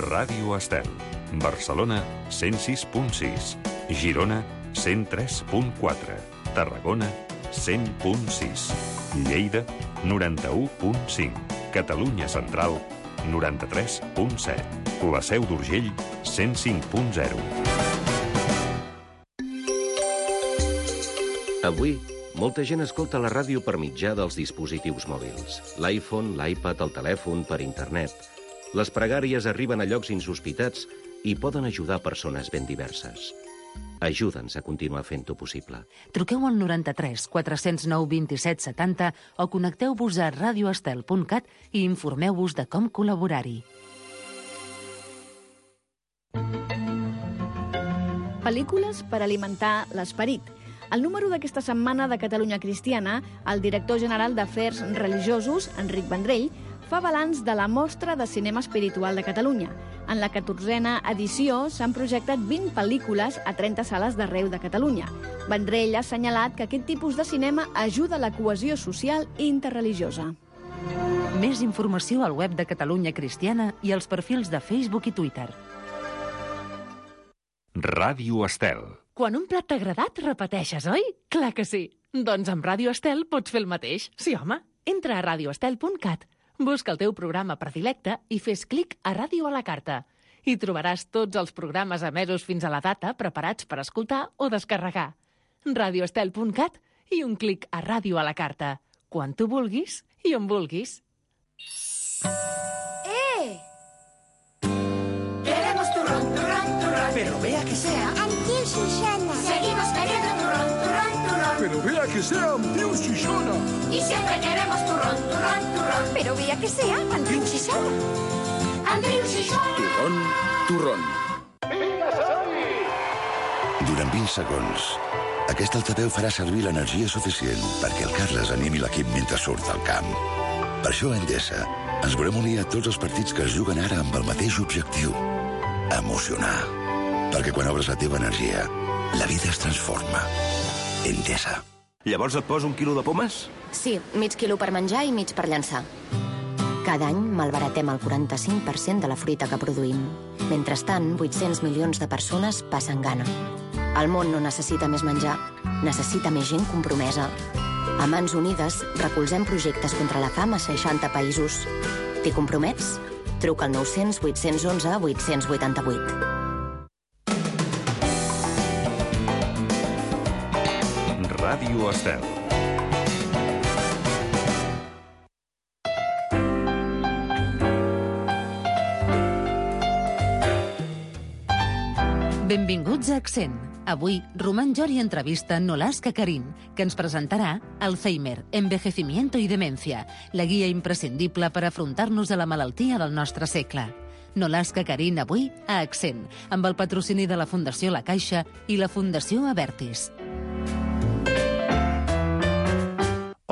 Ràdio Estel. Barcelona, 106.6. Girona, 103.4. Tarragona, 100.6. Lleida, 91.5. Catalunya Central, 93.7. La Seu d'Urgell, 105.0. Avui, molta gent escolta la ràdio per mitjà dels dispositius mòbils. L'iPhone, l'iPad, el telèfon, per internet. Les pregàries arriben a llocs insospitats i poden ajudar persones ben diverses. Ajuda'ns a continuar fent-ho possible. Truqueu al 93 409 27 70 o connecteu-vos a radioestel.cat i informeu-vos de com col·laborar-hi. Pel·lícules per alimentar l'esperit. Al número d'aquesta setmana de Catalunya Cristiana, el director general d'Afers Religiosos, Enric Vendrell, fa balanç de la Mostra de Cinema Espiritual de Catalunya. En la 14a edició s'han projectat 20 pel·lícules a 30 sales d'arreu de Catalunya. Vendrell ha assenyalat que aquest tipus de cinema ajuda a la cohesió social i interreligiosa. Més informació al web de Catalunya Cristiana i als perfils de Facebook i Twitter. Ràdio Estel. Quan un plat t'ha agradat, repeteixes, oi? Clar que sí. Doncs amb Ràdio Estel pots fer el mateix. Sí, home. Entra a radioestel.cat, busca el teu programa predilecte i fes clic a Ràdio a la carta. Hi trobaràs tots els programes emesos fins a la data preparats per escoltar o descarregar. radioestel.cat i un clic a Ràdio a la carta. Quan tu vulguis i on vulguis. Queremos turrón, turrón, turrón. Pero vea que sea. Tío Susana. Seguimos queriendo turrón, turrón, turrón. Pero vea que sea Tío Susana. Y siempre queremos turrón, turrón, turrón. Pero vea que sea Andreu Susana. Andreu Susana. Turrón, turrón. Durant 20 segons, aquest altaveu farà servir l'energia suficient perquè el Carles animi l'equip mentre surt al camp. Per això a Endesa ens volem unir a tots els partits que es juguen ara amb el mateix objectiu: emocionar. Perquè quan obres la teva energia, la vida es transforma. Endesa. Llavors et poso 1 quilo de pomes? Sí, mig quilo per menjar i mig per llançar. Cada any malbaratem el 45% de la fruita que produïm. Mentrestant, 800 milions de persones passen gana. El món no necessita més menjar, necessita més gent compromesa. A Mans Unides recolzem projectes contra la fam a 60 països. T'hi compromets? Truca al 900 811 888. Ràdio Estel. Benvinguts a Accent. Avui, Román Jori entrevista Nolasca Karim, que ens presentarà Alzheimer, envejecimiento y demencia, la guia imprescindible per afrontar-nos a la malaltia del nostre segle. Nolasca Karim avui a Accent, amb el patrocini de la Fundació La Caixa i la Fundació Abertis.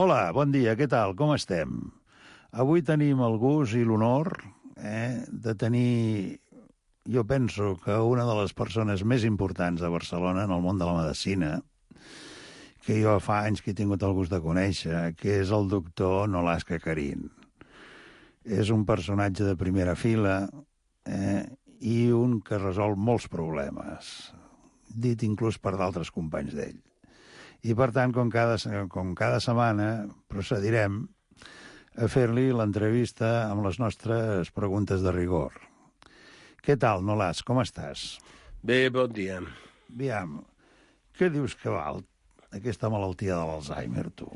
Hola, bon dia, què tal? Com estem? Avui tenim el gust i l'honor de tenir, jo penso que una de les persones més importants de Barcelona en el món de la medicina, que jo fa anys que he tingut el gust de conèixer, que és el doctor Nolasca Karim. És un personatge de primera fila i un que resol molts problemes, dit inclús per d'altres companys d'ell. I, per tant, com cada setmana, procedirem a fer-li l'entrevista amb les nostres preguntes de rigor. Què tal, Nolas? Com estàs? Bé, bon dia. Aviam, què dius que val aquesta malaltia de l'Alzheimer, tu?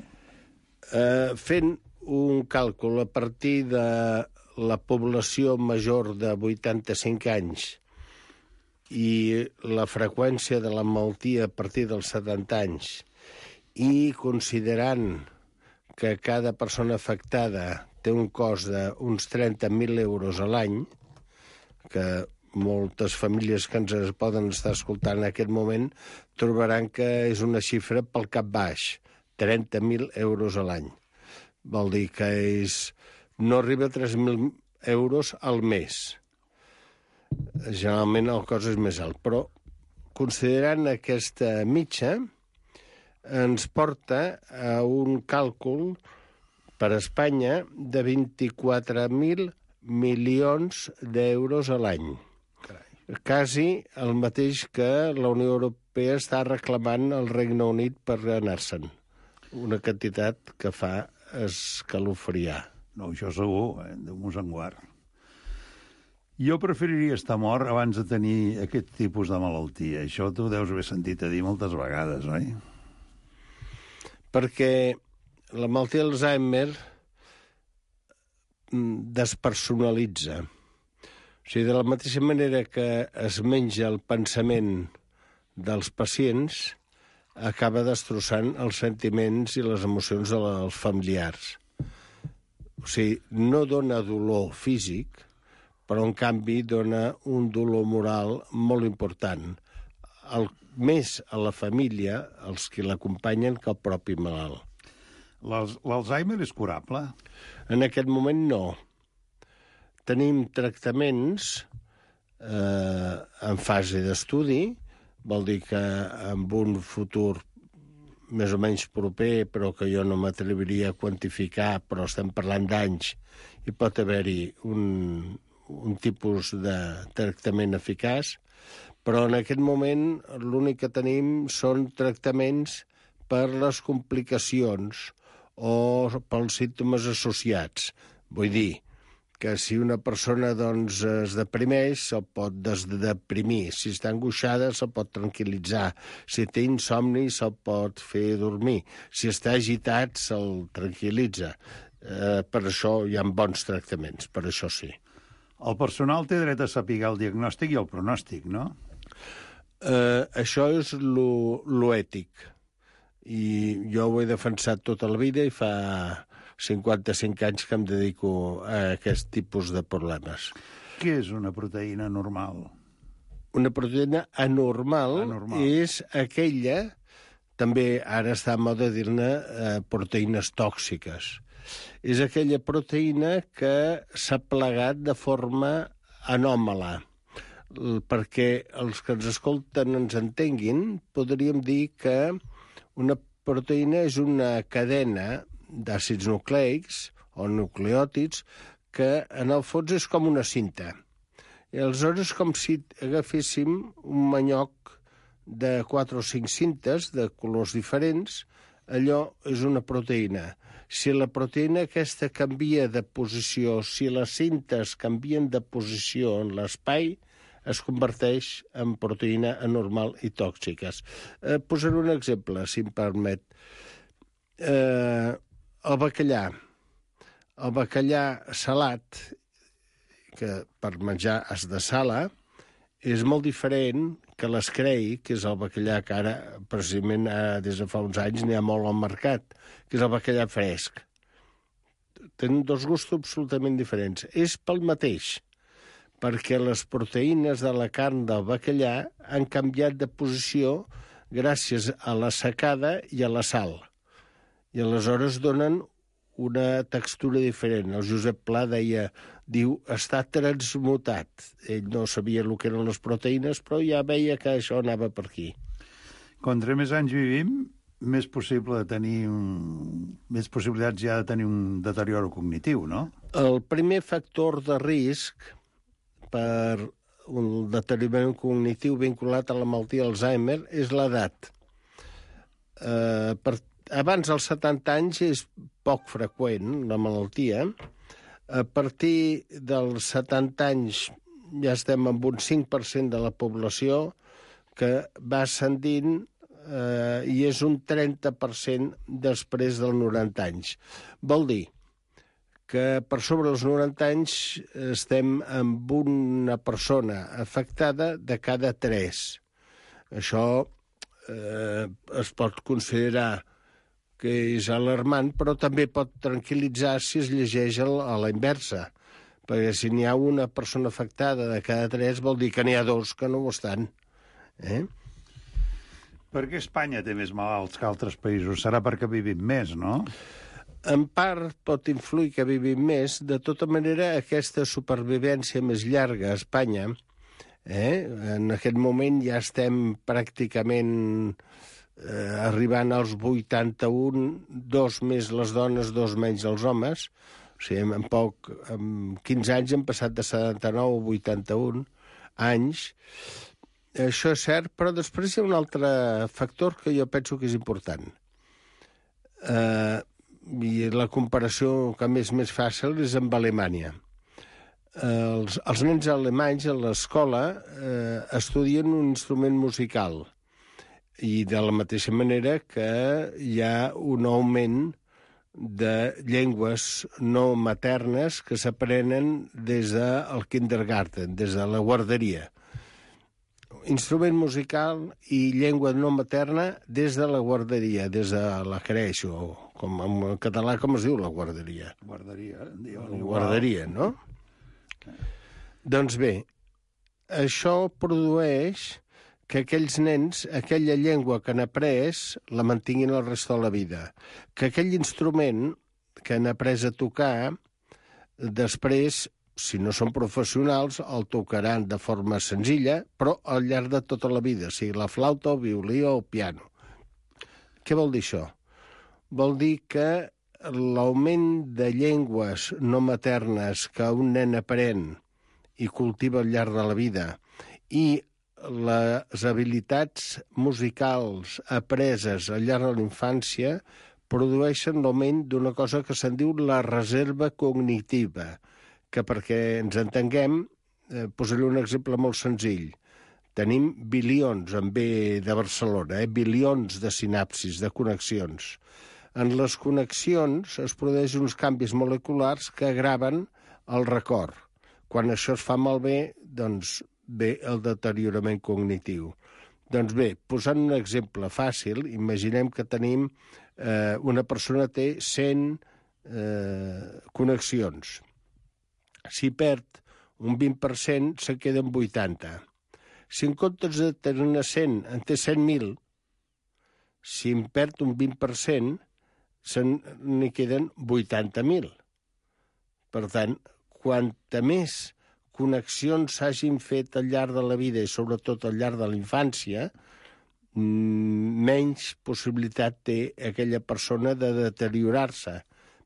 Fent un càlcul a partir de la població major de 85 anys i la freqüència de la malaltia a partir dels 70 anys, i considerant que cada persona afectada té un cost d'uns 30.000 euros a l'any, que moltes famílies que ens poden estar escoltant en aquest moment trobaran que és una xifra pel cap baix, 30.000 euros a l'any. Vol dir que no arriba a 3.000 euros al mes. Generalment el cost és més alt, però considerant aquesta mitja, ens porta a un càlcul per a Espanya de 24.000 milions d'euros a l'any. Quasi el mateix que la Unió Europea està reclamant al Regne Unit per anar-se'n. Una quantitat que fa escalofriar. No, això segur, Déu-nos en guard. Jo preferiria estar mort abans de tenir aquest tipus de malaltia. Això tu deus haver sentit a dir moltes vegades, oi? Perquè la malaltia d'Alzheimer despersonalitza. O sigui, de la mateixa manera que es menja el pensament dels pacients, acaba destrossant els sentiments i les emocions dels familiars. O sigui, no dona dolor físic, però en canvi dona un dolor moral molt important. Més a la família, els que l'acompanyen, que el propi malalt. L'Alzheimer és curable? En aquest moment no. Tenim tractaments en fase d'estudi, vol dir que en un futur més o menys proper, però que jo no m'atreviria a quantificar, però estem parlant d'anys, hi pot haver-hi un tipus de tractament eficaç, però en aquest moment l'únic que tenim són tractaments per les complicacions o pels símptomes associats. Vull dir que si una persona doncs, es deprimeix, se'l pot desdeprimir. Si està angoixada, se'l pot tranquil·litzar. Si té insomni, se'l pot fer dormir. Si està agitat, se'l tranquil·litza. Per això hi ha bons tractaments, per això sí. El personal té dret a saber el diagnòstic i el pronòstic, no? Això és lo ètic. I jo ho he defensat tota la vida i fa 55 anys que em dedico a aquest tipus de problemes. Què és una proteïna normal? Una proteïna anormal. És aquella, també ara està a moda dir-ne proteïnes tòxiques. És aquella proteïna que s'ha plegat de forma anòmala. Perquè els que ens escolten ens entenguin, podríem dir que una proteïna és una cadena d'àcids nucleics o nucleòtids que en el fons és com una cinta. I aleshores és com si agaféssim un manyoc de 4 o 5 cintes de colors diferents, allò és una proteïna. Si la proteïna aquesta canvia de posició, si les cintes canvien de posició en l'espai, es converteix en proteïna anormal i tòxiques. Posaré un exemple, si em permet. El bacallà. El bacallà salat, que per menjar es dessala, és molt diferent que l'escrei, que és el bacallà que ara, precisament des de fa uns anys, n'hi ha molt al mercat, que és el bacallà fresc. Tenen dos gustos absolutament diferents. És pel mateix, perquè les proteïnes de la carn del bacallà han canviat de posició gràcies a la secada i a la sal. I aleshores donen una textura diferent. El Josep Pla diu, està transmutat. Ell no sabia el que eren les proteïnes, però ja veia que això anava per aquí. Contra més anys vivim, més possibilitats hi ha de tenir un deterioro cognitiu, no? El primer factor de risc per un deteriorament cognitiu vinculat a la malaltia d'Alzheimer és l'edat. Abans dels 70 anys és poc freqüent, la malaltia. A partir dels 70 anys ja estem amb un 5% de la població que va ascendint i és un 30% després dels 90 anys. Vol dir que per sobre dels 90 anys estem amb una persona afectada de cada 3. Això es pot considerar que és alarmant, però també pot tranquil·litzar si es llegeix a la inversa. Perquè si n'hi ha una persona afectada de cada 3, vol dir que n'hi ha 2 que no ho estan. Per què Espanya té més malalts que altres països? Serà perquè vivim més, no? En part pot influir que vivim més. De tota manera, aquesta supervivència més llarga a Espanya, en aquest moment ja estem pràcticament arribant als 81, 2 més les dones, 2 menys els homes, O sigui, en 15 anys hem passat de 79 a 81 anys. Això és cert, però després hi ha un altre factor que jo penso que és important. I la comparació que és més fàcil és amb Alemanya. Els nens alemanys a l'escola estudien un instrument musical i de la mateixa manera que hi ha un augment de llengües no maternes que s'aprenen des del kindergarten, des de la guarderia. Instrument musical i llengua no materna des de la guarderia, des de la creix, o com en català com es diu la guarderia? Guarderia, no? Doncs bé, això produeix que aquells nens, aquella llengua que han après, la mantinguin el resto de la vida. Que aquell instrument que han après a tocar, després, si no són professionals, el tocaran de forma senzilla, però al llarg de tota la vida, sigui la flauta, el violí o el piano. Què vol dir això? Vol dir que l'augment de llengües no maternes que un nen aprèn i cultiva al llarg de la vida i les habilitats musicals apreses al llarg de la infància produeixen l'augment d'una cosa que se'n diu la reserva cognitiva, que perquè ens entenguem, posaré un exemple molt senzill. Tenim bilions, en B de Barcelona, bilions de sinapsis, de connexions. En les connexions es produeixen uns canvis moleculars que graven el record. Quan això es fa malbé, doncs ve el deteriorament cognitiu. Doncs bé, posant un exemple fàcil, imaginem que tenim una persona té 100 connexions. Si perd un 20%, se'n queden 80. Si en comptes de tenir 100, en té 100.000, si en perd un 20%, n'hi queden 80.000. Per tant, quanta més connexions s'hagin fet al llarg de la vida i sobretot al llarg de la infància, menys possibilitat té aquella persona de deteriorar-se,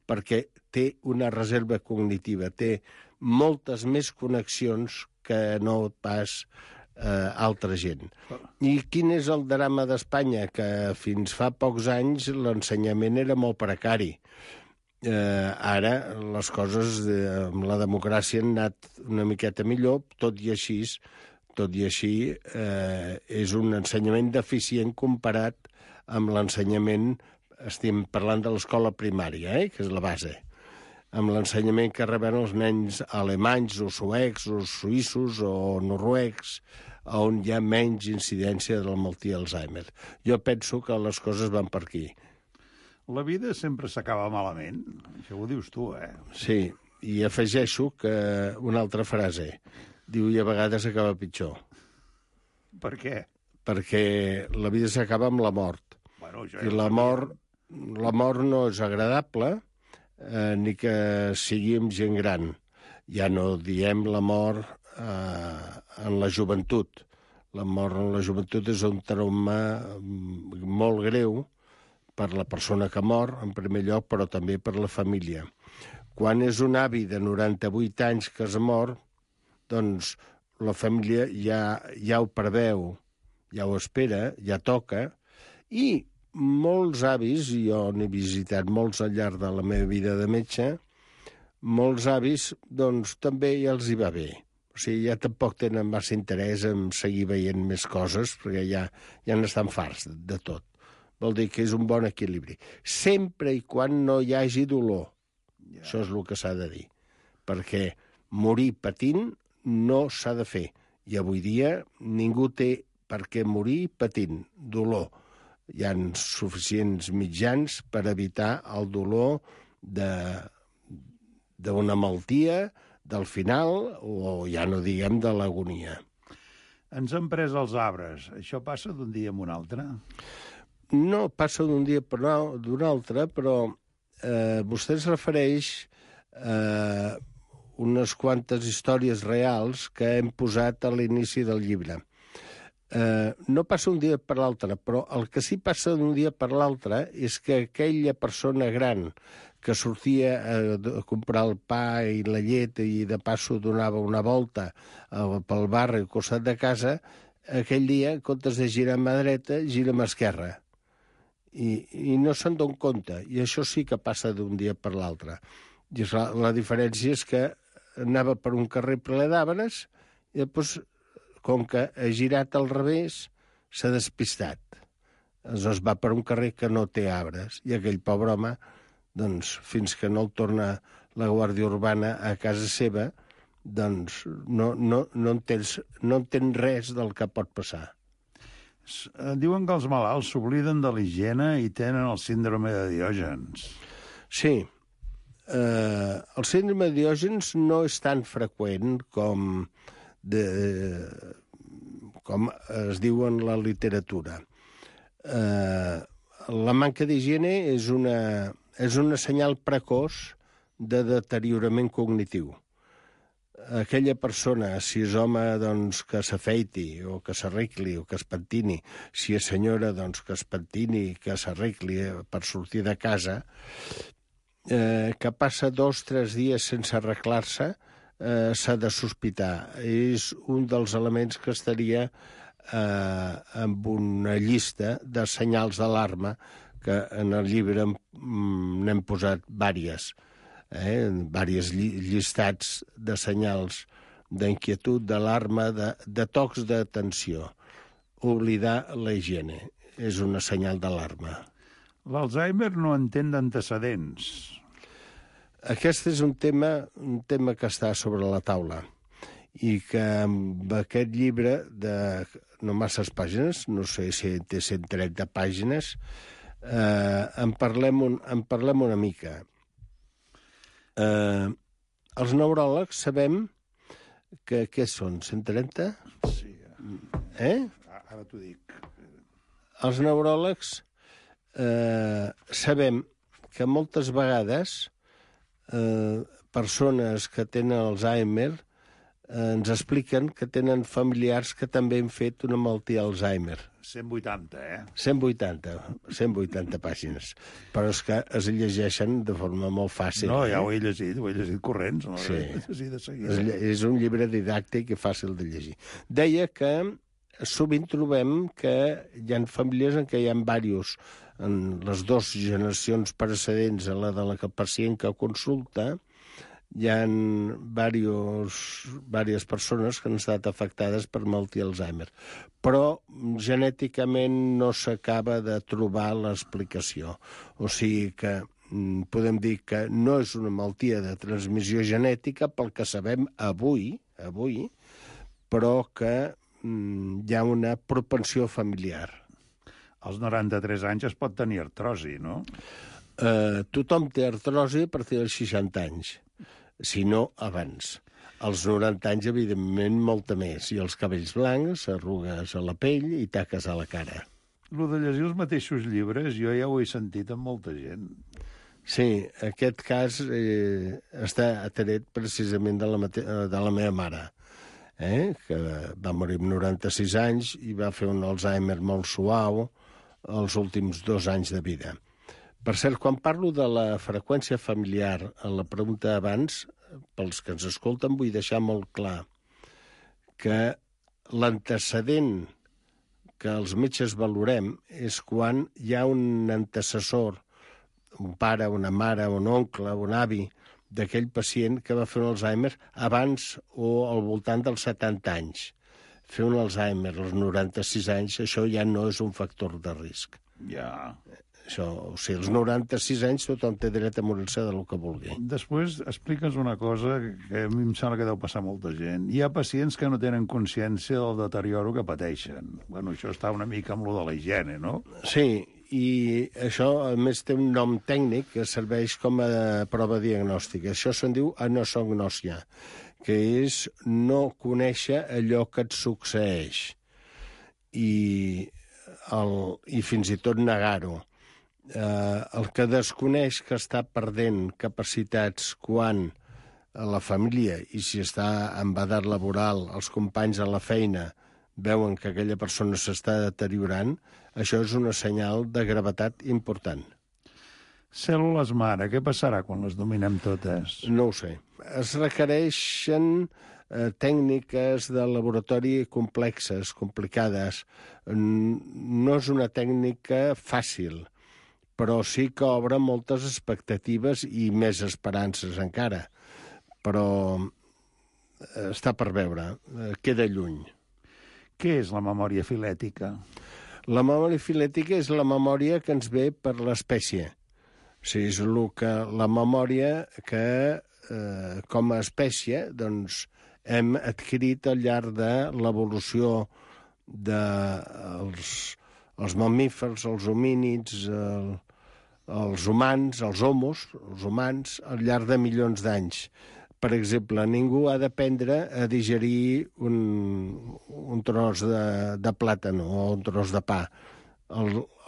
perquè té una reserva cognitiva, té moltes més connexions que no pas altra gent. I quin és el drama d'Espanya? Que fins fa pocs anys l'ensenyament era molt precari. Ara les coses amb la democràcia han anat una miqueta millor, tot i així és un ensenyament deficient comparat amb l'ensenyament, estem parlant de l'escola primària, que és la base, amb l'ensenyament que reben els nens alemanys o suecs o suïssos o noruecs, on hi ha menys incidència de la malaltia d'Alzheimer. Jo penso que les coses van per aquí. La vida sempre s'acaba malament. Això ho dius tu, Sí, i afegeixo que una altra frase. Diu, i a vegades acaba pitjor. Per què? Perquè la vida s'acaba amb la mort. Bueno, I la mort no és agradable, ni que sigui amb gent gran. Ja no diem la mort en la joventut. La mort en la joventut és un trauma molt greu per la persona que mor, en primer lloc, però també per la família. Quan és un avi de 98 anys que es mor, doncs la família ja ho preveu, ja ho espera, ja toca, i molts avis, i jo n'he visitat molts al llarg de la meva vida de metge, molts avis, doncs, també ja els hi va bé. O sigui, ja tampoc tenen massa interès en seguir veient més coses, perquè ja n'estan farts de tot. Vol dir que és un bon equilibri. Sempre i quan no hi hagi dolor. Això és el que s'ha de dir. Perquè morir patint no s'ha de fer. I avui dia ningú té per què morir patint. Dolor. Hi ha suficients mitjans per evitar el dolor d'una malaltia, del final, o ja no diguem de l'agonia. Ens han pres els arbres. Això passa d'un dia a un altre? No passa d'un dia d'un altre, però vostè es refereix a unes quantes històries reals que hem posat a l'inici del llibre. no passa un dia per l'altre, però el que sí passa d'un dia per l'altre és que aquella persona gran que sortia a comprar el pa i la llet i de passo donava una volta pel barri al costat de casa, aquell dia, en comptes de girar a mà dreta, gira a mà esquerra. I no se'n don compte. I això sí que passa d'un dia per l'altre. I la diferència és que anava per un carrer ple d'arbres i després, com que ha girat al revés, s'ha despistat. Aleshores va per un carrer que no té arbres i aquell pobre home, doncs, fins que no el torna la Guàrdia Urbana a casa seva, doncs no entén res del que pot passar. Diuen que els malalts s'obliden de l'higiene i tenen el síndrome de Diògens. Sí. El síndrome de Diògens no és tan freqüent com es diu en la literatura. La manca d'higiene és una senyal precoç de deteriorament cognitiu. Aquella persona, si és home, doncs, que s'afeiti o que s'arregli o que es pentini, si és senyora, doncs, que es pentini, que s'arregli per sortir de casa, que passa 2 o 3 dies sense arreglar-se, s'ha de sospitar. És un dels elements que estaria amb una llista de senyals d'alarma que en el llibre n'hem posat diverses llistats de senyals d'inquietud, d'alarma, de tocs d'atenció. Oblidar la higiene és una senyal d'alarma. L'Alzheimer no entén d'antecedents. Aquest és un tema que està sobre la taula i que amb aquest llibre de no masses pàgines, no sé si té 130 pàgines, en parlem una mica. Els neuròlegs sabem que què són, 130? Sí. Ara t'ho dic. Els neuròlegs sabem que moltes vegades persones que tenen Alzheimer ens expliquen que tenen familiars que també han fet una malaltia Alzheimer. 180, 180 pàgines. Però és que es llegeixen de forma molt fàcil. No, ja ho he llegit corrents. No? Sí. És un llibre didàctic i fàcil de llegir. Deia que sovint trobem que hi ha famílies en què hi ha diversos, en les 2 generacions precedents a la de la pacient que consulta, hi ha diverses persones que han estat afectades per malaltia Alzheimer. Però genèticament no s'acaba de trobar l'explicació. O sigui que podem dir que no és una malaltia de transmissió genètica pel que sabem avui, però que hi ha una propensió familiar. Als 93 anys es pot tenir artrosi, no? Tothom té artrosi a partir dels 60 anys, si no abans. Als 90 anys, evidentment, molta més. I els cabells blancs, arrugues a la pell i taques a la cara. Lo de llegir els mateixos llibres, jo ja ho he sentit amb molta gent. Sí, aquest cas està atret precisament de la meva mare, que va morir amb 96 anys i va fer un Alzheimer molt suau els últims 2 anys de vida. Per cert, quan parlo de la freqüència familiar, a la pregunta abans, pels que ens escolten, vull deixar molt clar que l'antecedent que els metges valorem és quan hi ha un antecessor, un pare, una mare, un oncle, un avi, d'aquell pacient que va fer un Alzheimer abans o al voltant dels 70 anys. Fer un Alzheimer als 96 anys, això ja no és un factor de risc. Ja. Això, o sigui, als 96 anys tothom té dret a morir-se del que vulgui. Després explica'ns una cosa que a mi em sembla que deu passar molta gent. Hi ha pacients que no tenen consciència del deterioro que pateixen. Bueno, això està una mica amb lo de la higiene, no? Sí, i això, a més, té un nom tècnic que serveix com a prova diagnòstica. Això se'n diu anosognòsia, que és no conèixer allò que et succeeix i fins i tot negar-ho. El que desconeix que està perdent capacitats quan a la família i si està en edat laboral, els companys a la feina veuen que aquella persona s'està deteriorant, això és una senyal de gravetat important. Cèl·lules mare, què passarà quan les dominem totes? No ho sé. Es requereixen tècniques de laboratori complexes, complicades. No és una tècnica fàcil, però sí que obre moltes expectatives i més esperances encara. Però està per veure, queda lluny. Què és la memòria filètica? La memòria filètica és la memòria que ens ve per l'espècie. O sigui, és la memòria que, com a espècie, doncs, hem adquirit al llarg de l'evolució dels mamífers, els homínids, els humans, els humans, al llarg de milions d'anys. Per exemple, ningú ha d'aprendre a digerir un tros de plàtan o un tros de pa.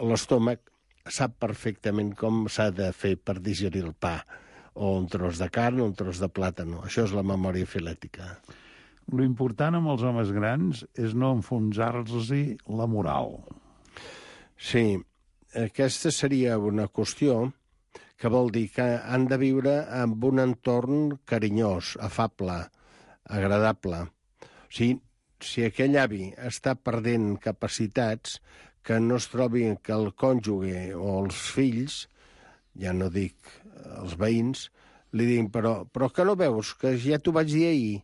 L'estómac sap perfectament com s'ha de fer per digerir el pa, o un tros de carn o un tros de plàtan. Això és la memòria filètica. Lo important amb els homes grans és no enfonsar-los-hi la moral. Sí, aquesta seria una qüestió que vol dir que han de viure en un entorn carinyós, afable, agradable. O sigui, si aquell avi està perdent capacitats, que no es trobi que el cònjuge o els fills, ja no dic els veïns, li diguin, però que no veus, que ja t'ho vaig dir ahir,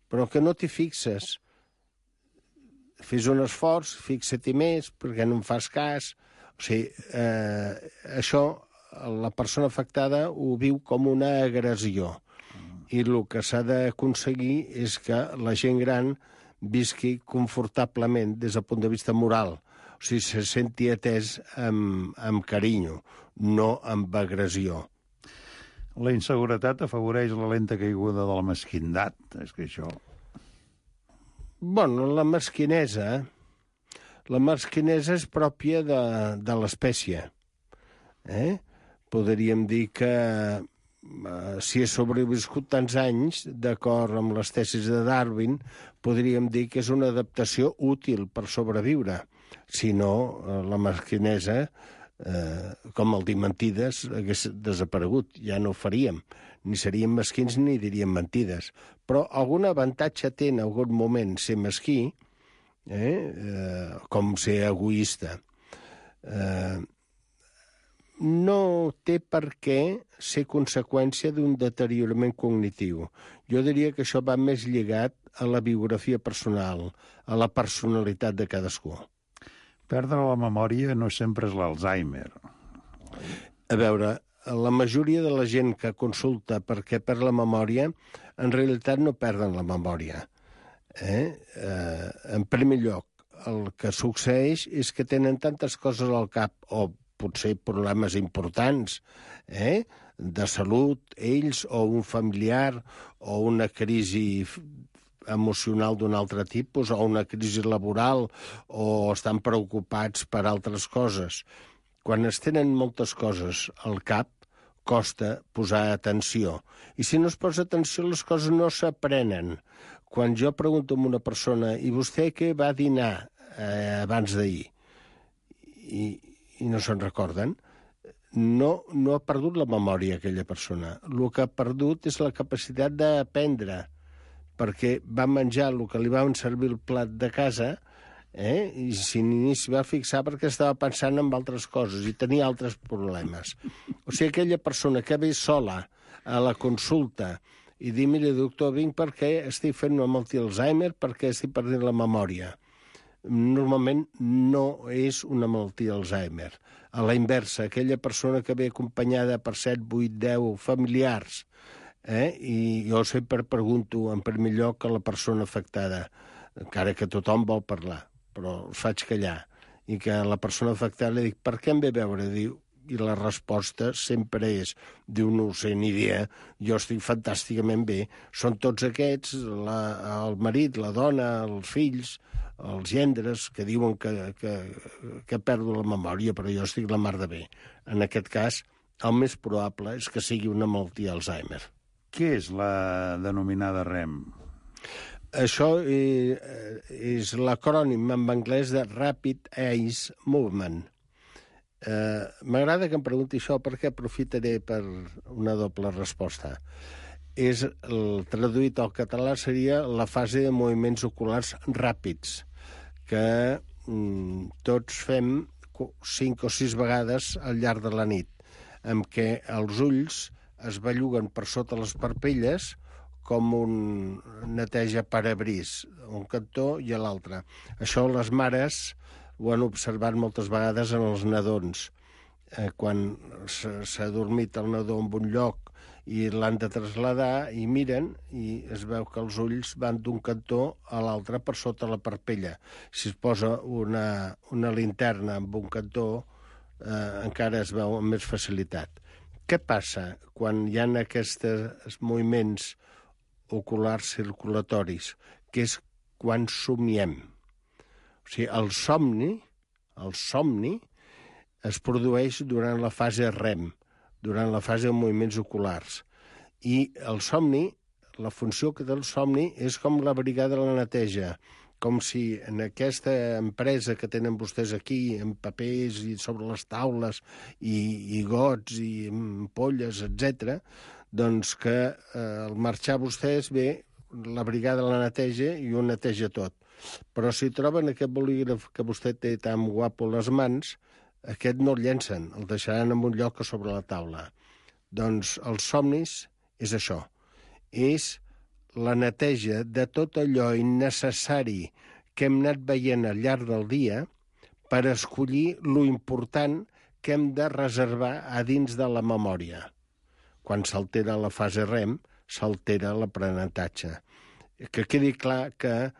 però que no t'hi fixes. Fes un esforç, fixa-t'hi més, perquè no em fas cas. O sigui, això la persona afectada ho viu com una agressió. I el que s'ha d'aconseguir és que la gent gran visqui confortablement des del punt de vista moral. O sigui, se senti atès amb carinyo, no amb agressió. La inseguretat afavoreix la lenta caiguda de la mesquindat. És que això... Bueno, la mesquinesa és pròpia de l'espècie. Podríem dir que si he sobreviscut tants anys, d'acord amb les tesis de Darwin, podríem dir que és una adaptació útil per sobreviure. Si no, la mesquinesa, com el dir mentides, hagués desaparegut. Ja no ho faríem. Ni seríem mesquins ni diríem mentides. Però algun avantatge té en algun moment ser mesquí, com ser egoista. No té per què ser conseqüència d'un deteriorament cognitiu. Jo diria que això va més lligat a la biografia personal, a la personalitat de cadascú. Perdre la memòria no sempre és l'Alzheimer. A veure, la majoria de la gent que consulta perquè perd la memòria, en realitat no perden la memòria. En primer lloc, el que succeeix és que tenen tantes coses al cap, o potser problemes importants, de salut, ells, o un familiar, o una crisi emocional d'un altre tipus, o una crisi laboral, o estan preocupats per altres coses. Quan es tenen moltes coses al cap, costa posar atenció. I si no es posa atenció, les coses no s'aprenen. Quan jo pregunto a una persona, i vostè què va dinar abans d'ahir? I no se'n recorden, no ha perdut la memòria aquella persona. El que ha perdut és la capacitat d'aprendre, perquè va menjar el que li van servir el plat de casa, i ni s'hi va fixar perquè estava pensant en altres coses i tenia altres problemes. O sigui, aquella persona que ve sola a la consulta i diu, mira, doctor, vinc perquè estic fent una malaltia d'Alzheimer, perquè estic perdent la memòria. Normalment no és una malaltia d'Alzheimer. A la inversa, aquella persona que ve acompanyada per 7, 8, 10 familiars, i jo sempre pregunto en primer lloc a la persona afectada, encara que tothom vol parlar, però els faig callar, i que a la persona afectada li dic, per què em ve a veure? Diu, i la resposta sempre és, diu, no ho sé ni idea, jo estic fantàsticament bé, són tots aquests, el marit, la dona, els fills, els gendres, que diuen que perdo la memòria, però jo estic la mar de bé. En aquest cas, el més probable és que sigui una malaltia d'Alzheimer. Què és la denominada REM? Això és l'acrònim en anglès de Rapid Eye Movement. M'agrada que em pregunti això perquè aprofitaré per una doble resposta. Traduït al català seria la fase de moviments oculars ràpids, que tots fem 5 o 6 vegades al llarg de la nit, en què els ulls es belluguen per sota les parpelles com un neteja parabrís, un cantó i a l'altre. Això les mares ho han observat moltes vegades en els nadons. Quan s'ha dormit el nadó en un lloc i l'han de traslladar i miren i es veu que els ulls van d'un cantó a l'altre per sota la parpella. Si es posa una linterna en un cantó, encara es veu amb més facilitat. Què passa quan hi ha aquests moviments oculars circulatoris? Que és quan somiem. O sigui, el somni es produeix durant la fase REM, durant la fase de moviments oculars. I el somni, la funció que té el somni és com la brigada de la neteja, com si en aquesta empresa que tenen vostès aquí, amb papers i sobre les taules, i gots, i ampolles, etc., doncs que al marxar vostès ve la brigada de la neteja i ho neteja tot. Però si troben aquest bolígraf que vostè té tan guapo a les mans, aquest no el llencen, el deixaran en un lloc a sobre la taula. Doncs els somnis és això, és la neteja de tot allò innecessari que hem anat veient al llarg del dia per escollir lo important que hem de reservar a dins de la memòria. Quan s'altera la fase REM, s'altera l'aprenentatge. Que quedi clar que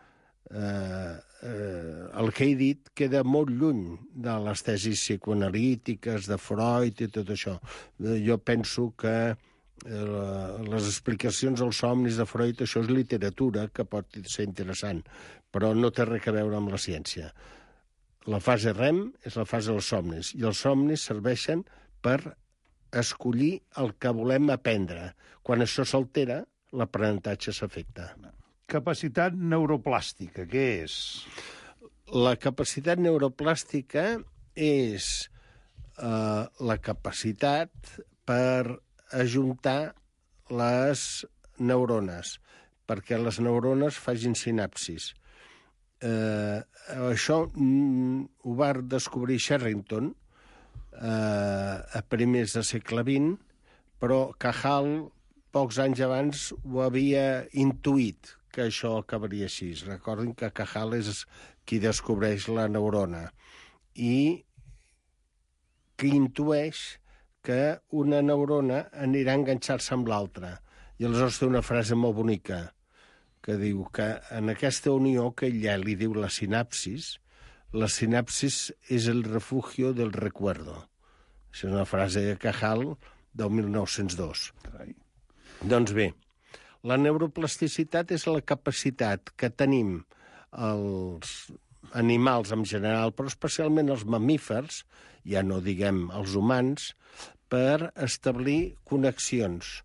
el que he dit queda molt lluny de les tesis psicoanalítiques, de Freud i tot això. Jo penso que les explicacions dels somnis de Freud, això és literatura que pot ser interessant, però no té res a veure amb la ciència. La fase REM és la fase dels somnis, i els somnis serveixen per escollir el que volem aprendre. Quan això s'altera, l'aprenentatge s'afecta. Capacitat neuroplàstica, què és? La capacitat neuroplàstica és la capacitat per ajuntar les neurones, perquè les neurones facin sinapsis. Això ho va descobrir Sherrington a primers del segle XX, però Cajal, pocs anys abans, ho havia intuït, que això acabaria així. Recordin que Cajal és qui descobreix la neurona i que intueix que una neurona anirà a enganxar-se amb l'altra. I aleshores té una frase molt bonica que diu que en aquesta unió que ella li diu la sinapsis és el refugio del recuerdo. Això és una frase de Cajal del 1902. Carai. Doncs bé, la neuroplasticitat és la capacitat que tenim els animals en general, però especialment els mamífers, ja no diguem els humans, per establir connexions,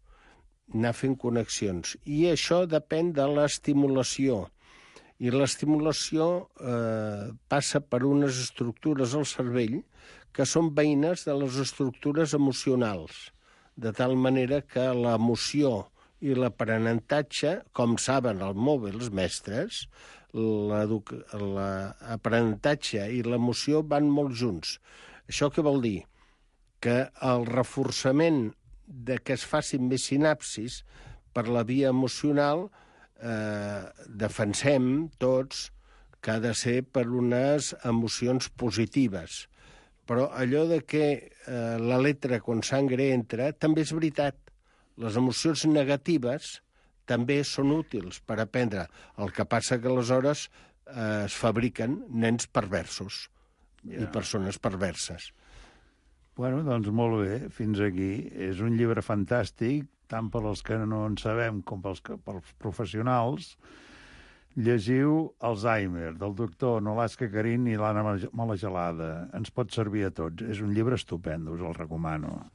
anar fent connexions. I això depèn de l'estimulació. I l'estimulació passa per unes estructures al cervell que són veïnes de les estructures emocionals, de tal manera que l'emoció i l'aprenentatge, com saben els mestres, l'aprenentatge i l'emoció van molt junts. Això què vol dir? Que el reforçament de que es facin més sinapsis per la via emocional defensem tots que ha de ser per unes emocions positives. Però allò de que la letra con sangre entra també és veritat. Les emocions negatives també són útils per aprendre. El que passa que aleshores es fabriquen nens perversos i persones perverses. Bueno, doncs molt bé, fins aquí. És un llibre fantàstic, tant per als que no en sabem com pels professionals. Llegiu Alzheimer, del doctor Nolasca Carín i l'Anna Malagelada. Ens pot servir a tots. És un llibre estupend, us el recomano.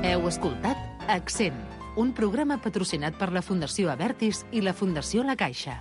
Heu escoltat Accent, un programa patrocinat per la Fundació Abertis i la Fundació La Caixa.